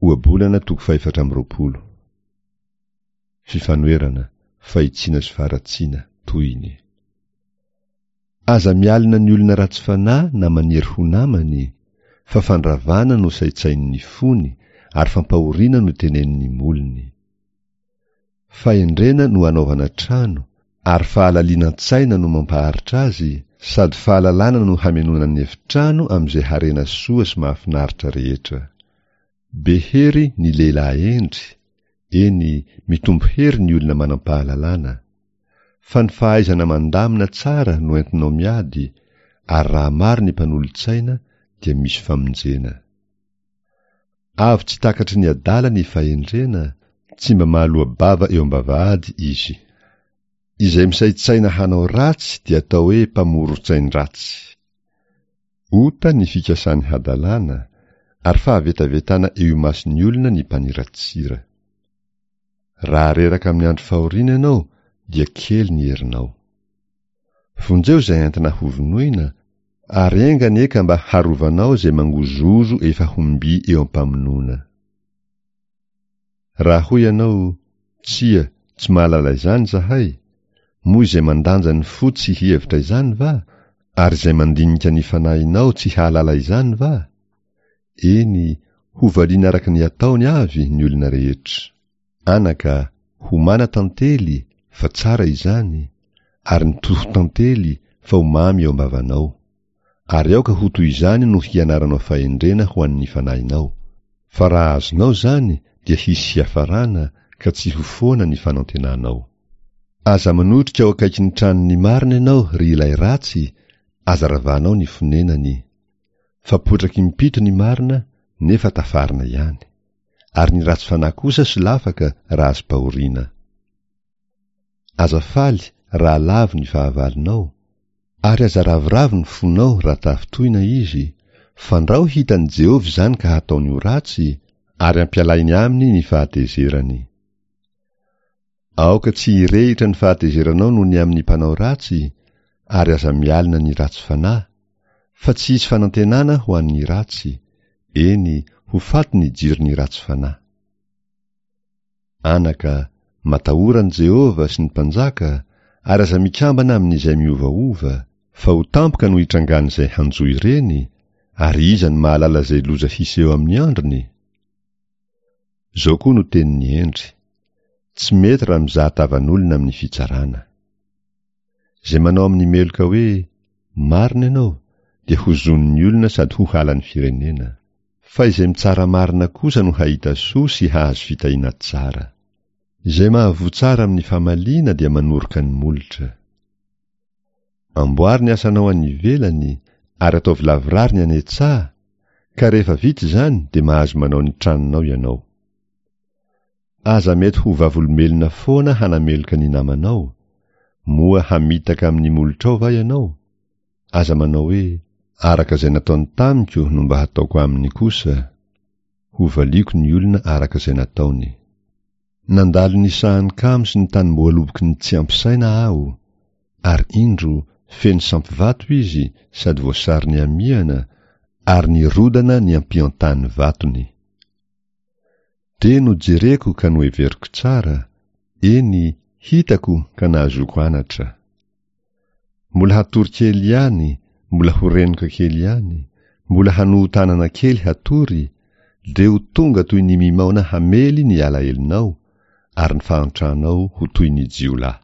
Ohabolana toko fahefatra amby 24. Fifanoherana, fahitsiana sy faharatsiana, tohiny. Aza mialona ny olona ratsy fanahy na maniry ho namany, fa fandravana no saintsainin'ny fony ary fampahoriana no tenenin'ny molony. Fahendrena no anaovana trano, ary fahalalinan-tsaina no mampaharitra azy, sady fahalalana no hamenoana ny efitrano amin'izay harena soa sy mahafinaritra rehetra. Be hery ny lehilahy hendry, eny, mitombo hery ny olona manam-pahalalana. Fa ny fahaizana mandamina tsara no entinao miady, ary raha maro ny mpanolo-tsaina dia misy famonjena. Avo tsy takatry ny adala ny fahendrena, tsy mba mahaloa-bava eo am-bavahady izy. Izay misaintsaina hanao ratsy dia atao hoe mpamoron-tsain-dratsy. Ota ny fikasan'ny hadalana, ary fahavetavetana eo imason'ny olona ny mpaniratsira. Raha reraka amin'ny andro fahoriana ianao dia kely ny herinao. Vonjeo izay entina hovonoina, ary enga anie ka mba harovanao izay mangozohozo efa ho mby eo am-pamonoana. Raha hoy ianao, Tsia, tsy mahalala izany izahay, moa izay mandanja ny fo tsy hihevitra izany va, ary izay mandinika ny fanahinao tsy hahalala izany va? Eny, hovaliana araka ny ataony avy ny olona rehetra. Anaka, homana tantely, fa tsara izany, ary ny toho-tantely, fa ho mamy eo am-bavanao. Ary aoka ho toy izany no hianaranao fahendrena ho an'ny fanahinao. Fa raha azonao izany dia hisy hiafarana ka tsy ho foana ny fanantenanao. Aza manotrika ao akaikin'ny tranon'ny marina ianao, ry ilay ratsy, aza ravanao ny fonenany. Fa potraky impito ny marina, nefa tafarina ihany. Ary ny ratsy fanahy kosa solafaka raha azom-pahoriana. Aza faly raha lavo ny fahavalonao, ary aza ravoravo ny fonao raha tafintohina izy, fandrao hitan'i Jehovah izany ka hataony ho ratsy, ary hampialainy aminy ny fahatezerany. Aoka tsy hirehitra ny fahatezeranao noho ny amin'ny mpanao ratsy, ary aza mialona ny ratsy fanahy, fa tsy hisy fanantenana ho an'ny ratsy, eny, ho faty ny jiron'ny ratsy fanahy. Anaka, matahora an'i Jehovah sy ny mpanjaka, ary aza mikambana amin'izay miovaova, fa ho tampoka no hitrangan'izay hanjo ireny, ary iza no mahalala izay loza hiseho amin'ny androny? Izao koa no tenin'ny hendry, Tsy mety raha mizaha tavan'olona amin'ny fitsarana. Izay manao amin'ny meloka hoe, Marina ianao, dia hozonin'ny olona sady ho halan'ny firenena. Fa izay mitsara marina kosa no hahita soa sy hahazo fitahiana tsara. Izay mahavoa tsara amin'ny famaliana dia manoroka ny molotra. Amboary ny asanao any ivelany ary ataovy lavorary ny any an-tsaha, ka rehefa vita izany dia mahazo manao ny tranonao ianao. Aza mety ho vavolombelona foana hanameloka ny namanao, moa hamitaka amin'ny molotrao va ianao? Aza manao hoe, Araka izay nataony tamiko no mba hataoko aminy kosa, hovaliako ny olona araka izay nataony. Nandalo ny sahan'ny kamo sy ny tanimboaloboky ny tsy ampy saina aho, ary indro, feno sampy vato izy sady voasary nihamihana, ary nirodana ny ampiantany vatony. Dia nojereko ka noheveriko tsara, eny, hitako ka nahazoako anatra. Mbola hatory kely ihany, mbola ho renoka kely ihany, mbola hanoho-tanana kely hatory, dia ho tonga toy ny mimaona hamely ny alahelonao, ary ny fahantranao ho toy ny jiolahy.